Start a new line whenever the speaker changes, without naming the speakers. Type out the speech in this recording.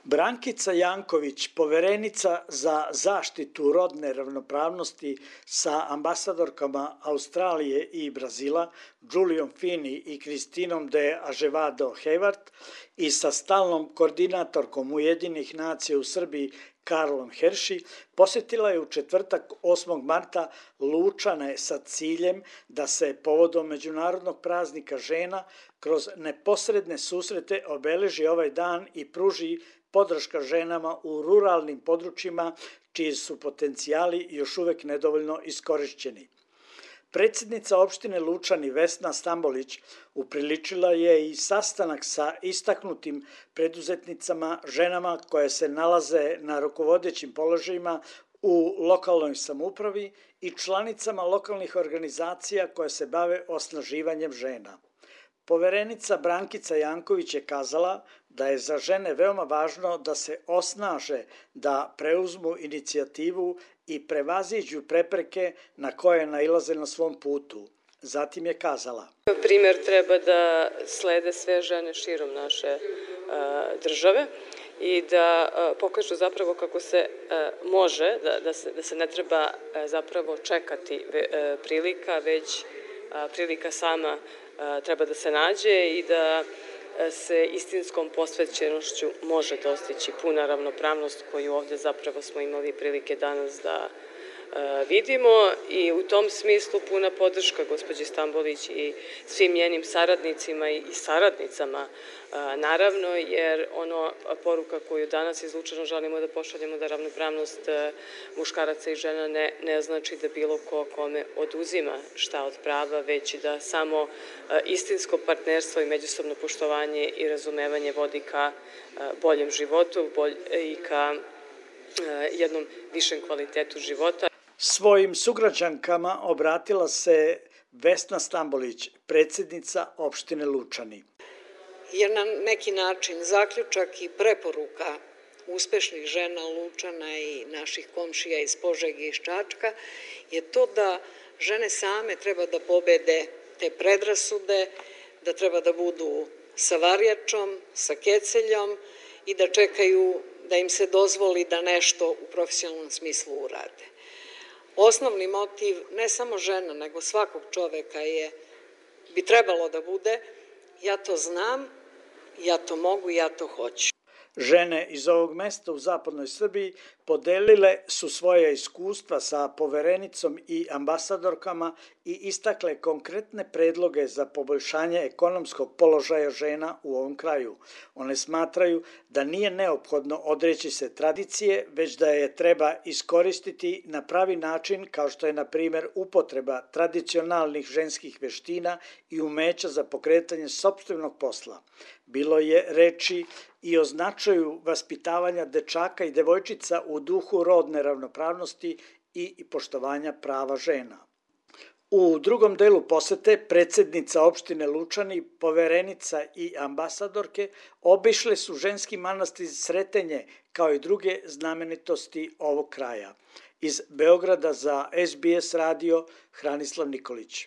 Brankica Janković, poverenica za zaštitu rodne ravnopravnosti sa ambasadorkama Australije i Brazila, Julijom Fini i Kristinom de Azevedo Hayward i sa stalnom koordinatorkom Ujedinjenih nacija u Srbiji Karlom Herši, posjetila je u četvrtak 8. marta Lučane sa ciljem da se povodom Međunarodnog praznika žena kroz neposredne susrete obeleži ovaj dan i pruži podrška ženama u ruralnim područjima čiji su potencijali još uvek nedovoljno iskorišćeni. Predsjednica opštine Lučani Vesna Stambolić upriličila je i sastanak sa istaknutim preduzetnicama, ženama koje se nalaze na rukovodećim položajima u lokalnoj samoupravi i članicama lokalnih organizacija koje se bave osnaživanjem žena. Poverenica Brankica Janković je kazala da je za žene veoma važno da se osnaže, da preuzmu inicijativu i prevaziđu prepreke na koje nailaze na svom putu. Zatim je kazala:
Primer treba da slede sve žene širom naše države i da pokažu zapravo kako se može, da se ne treba zapravo čekati prilika, već prilika sama treba da se nađe i da se istinskom posvećenošću može dostići puna ravnopravnost koju ovde zapravo smo imali prilike danas da vidimo i u tom smislu puna podrška gospođi Stambolić i svim njenim saradnicima i saradnicama, naravno, jer poruka koju danas iz Lučana želimo da pošaljemo da ravnopravnost muškaraca i žena ne znači da bilo ko kome oduzima šta od prava, već da samo istinsko partnerstvo i međusobno poštovanje i razumevanje vodi ka boljem životu i ka jednom višem kvalitetu života.
Svojim sugrađankama obratila se Vesna Stambolić, predsjednica opštine Lučani.
Jer na neki način zaključak i preporuka uspešnih žena Lučana i naših komšija iz Požege i iz Čačka je to da žene same treba da pobede te predrasude, da treba da budu sa varjačom, sa keceljom i da čekaju da im se dozvoli da nešto u profesionalnom smislu urade. Osnovni motiv ne samo žena, nego svakog čoveka bi trebalo da bude: ja to znam, ja to mogu, ja to hoću.
Žene iz ovog mesta u zapadnoj Srbiji podelile su svoje iskustva sa poverenicom i ambasadorkama i istakle konkretne predloge za poboljšanje ekonomskog položaja žena u ovom kraju. One smatraju da nije neophodno odreći se tradicije, već da je treba iskoristiti na pravi način, kao što je, na primjer, upotreba tradicionalnih ženskih veština i umeća za pokretanje sopstvenog posla. Bilo je reči i o značaju vaspitavanja dečaka i devojčica u duhu rodne ravnopravnosti i poštovanja prava žena. U drugom delu posete predsjednica opštine Lučani, poverenica i ambasadorke obišle su ženski manastir Sretenje kao i druge znamenitosti ovog kraja. Iz Beograda za SBS radio Hranislav Nikolić.